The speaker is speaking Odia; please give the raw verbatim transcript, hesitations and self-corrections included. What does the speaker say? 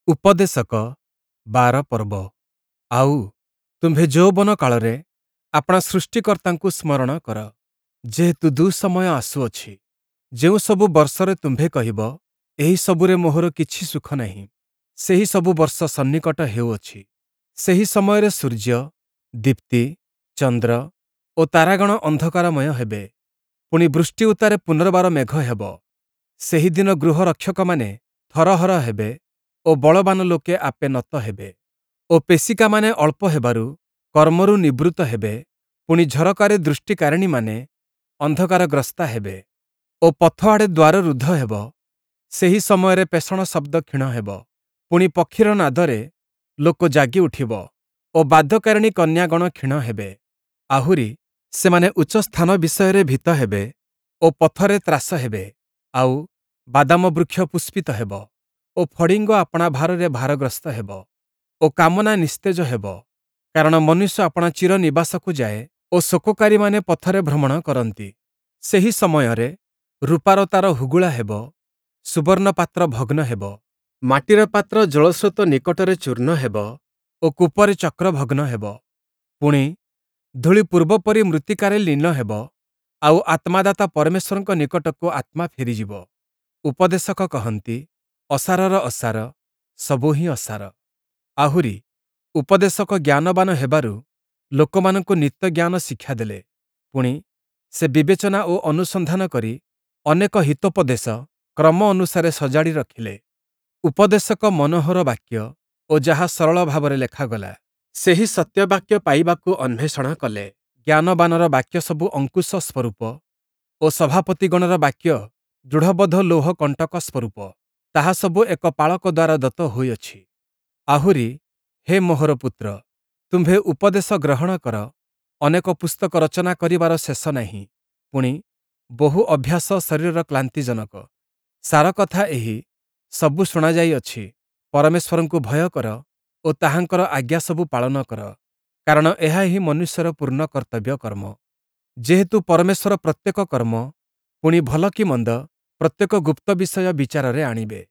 ଉପଦେଶକ ବାର ପର୍ବ। ଆଉ ତୁମ୍ଭେ ଯୌବନ କାଳରେ ଆପଣା ସୃଷ୍ଟିକର୍ତ୍ତାଙ୍କୁ ସ୍ମରଣ କର, ଯେହେତୁ ଦୁଃସମୟ ଆସୁଅଛି, ଯେଉଁସବୁ ବର୍ଷରେ ତୁମ୍ଭେ କହିବ, ଏହି ସବୁରେ ମୋହର କିଛି ସୁଖ ନାହିଁ, ସେହି ସବୁ ବର୍ଷ ସନ୍ନିକଟ ହେଉଅଛି। ସେହି ସମୟରେ ସୂର୍ଯ୍ୟ, ଦୀପ୍ତି, ଚନ୍ଦ୍ର ଓ ତାରାଗଣ ଅନ୍ଧକାରମୟ ହେବେ। ପୁଣି ବୃଷ୍ଟି ଉତ୍ତାରେ ପୁନର୍ବାର ମେଘ ହେବ। ସେହିଦିନ ଗୃହରକ୍ଷକମାନେ ଥରହର ହେବେ ଓ ବଳବାନ ଲୋକେ ଆପେ ନତ ହେବେ ଓ ପେଷିକାମାନେ ଅଳ୍ପ ହେବାରୁ କର୍ମରୁ ନିବୃତ୍ତ ହେବେ। ପୁଣି ଝରକାରେ ଦୃଷ୍ଟିକାରିଣୀମାନେ ଅନ୍ଧକାରଗ୍ରସ୍ତା ହେବେ ଓ ପଥଆଡ଼େ ଦ୍ୱାର ରୁଦ୍ଧ ହେବ। ସେହି ସମୟରେ ପେଷଣ ଶବ୍ଦ କ୍ଷୀଣ ହେବ। ପୁଣି ପକ୍ଷୀର ନାଦରେ ଲୋକ ଜାଗି ଉଠିବ ଓ ବାଦ୍ୟକାରିଣୀ କନ୍ୟାଗଣ କ୍ଷୀଣ ହେବେ। ଆହୁରି ସେମାନେ ଉଚ୍ଚ ସ୍ଥାନ ବିଷୟରେ ଭୀତ ହେବେ ଓ ପଥରେ ତ୍ରାସ ହେବେ। ଆଉ ବାଦାମ ବୃକ୍ଷ ପୁଷ୍ପିତ ହେବ ଓ ଫଡ଼ିଙ୍ଗ ଆପଣା ଭାରରେ ଭାରଗ୍ରସ୍ତ ହେବ ଓ କାମନା ନିସ୍ତେଜ ହେବ। କାରଣ ମନୁଷ୍ୟ ଆପଣା ଚିର ନିବାସକୁ ଯାଏ ଓ ଶୋକକାରୀମାନେ ପଥରେ ଭ୍ରମଣ କରନ୍ତି। ସେହି ସମୟରେ ରୂପାର ତାର ହୁଗୁଳା ହେବ, ସୁବର୍ଣ୍ଣ ପାତ୍ର ଭଗ୍ନ ହେବ, ମାଟିର ପାତ୍ର ଜଳସ୍ରୋତ ନିକଟରେ ଚୂର୍ଣ୍ଣ ହେବ ଓ କୂପରେ ଚକ୍ର ଭଗ୍ନ ହେବ। ପୁଣି ଧୂଳି ପୂର୍ବପରି ମୃତ୍ତିକାରେ ଲୀନ ହେବ, ଆଉ ଆତ୍ମାଦାତା ପରମେଶ୍ୱରଙ୍କ ନିକଟକୁ ଆତ୍ମା ଫେରିଯିବ। ଉପଦେଶକ କହନ୍ତି, ଅସାରର ଅସାର, ସବୁ ହିଁ ଅସାର। ଆହୁରି ଉପଦେଶକ ଜ୍ଞାନବାନ ହେବାରୁ ଲୋକମାନଙ୍କୁ ନିତ୍ୟ ଜ୍ଞାନ ଶିକ୍ଷା ଦେଲେ। ପୁଣି ସେ ବିବେଚନା ଓ ଅନୁସନ୍ଧାନ କରି ଅନେକ ହିତୋପଦେଶ କ୍ରମ ଅନୁସାରେ ସଜାଡ଼ି ରଖିଲେ। ଉପଦେଶକ ମନୋହର ବାକ୍ୟ ଓ ଯାହା ସରଳ ଭାବରେ ଲେଖାଗଲା, ସେହି ସତ୍ୟବାକ୍ୟ ପାଇବାକୁ ଅନ୍ୱେଷଣ କଲେ। ଜ୍ଞାନବାନର ବାକ୍ୟ ସବୁ ଅଙ୍କୁଶ ସ୍ୱରୂପ ଓ ସଭାପତିଗଣର ବାକ୍ୟ ଦୃଢ଼ବଦ୍ଧ ଲୌହ କଣ୍ଟକ ସ୍ୱରୂପ। ତାହା ସବୁ ଏକ ପାଳକ ଦ୍ୱାରା ଦତ୍ତ ହୋଇଅଛି। ଆହୁରି ହେ ମୋହର ପୁତ୍ର, ତୁମ୍ଭେ ଉପଦେଶ ଗ୍ରହଣ କର, ଅନେକ ପୁସ୍ତକ ରଚନା କରିବାର ଶେଷ ନାହିଁ। ପୁଣି ବହୁ ଅଭ୍ୟାସ ଶରୀରର କ୍ଳାନ୍ତିଜନକ। ସାରକଥା ଏହି, ସବୁ ଶୁଣାଯାଇଅଛି, ପରମେଶ୍ୱରଙ୍କୁ ଭୟ କର ଓ ତାହାଙ୍କର ଆଜ୍ଞାସବୁ ପାଳନ କର, କାରଣ ଏହା ହିଁ ମନୁଷ୍ୟର ପୂର୍ଣ୍ଣ କର୍ତ୍ତବ୍ୟ କର୍ମ। ଯେହେତୁ ପରମେଶ୍ୱର ପ୍ରତ୍ୟେକ କର୍ମ, ପୁଣି ଭଲ କି ମନ୍ଦ, ପ୍ରତ୍ୟେକ ଗୁପ୍ତ ବିଷୟ ବିଚାରରେ ଆଣିବେ।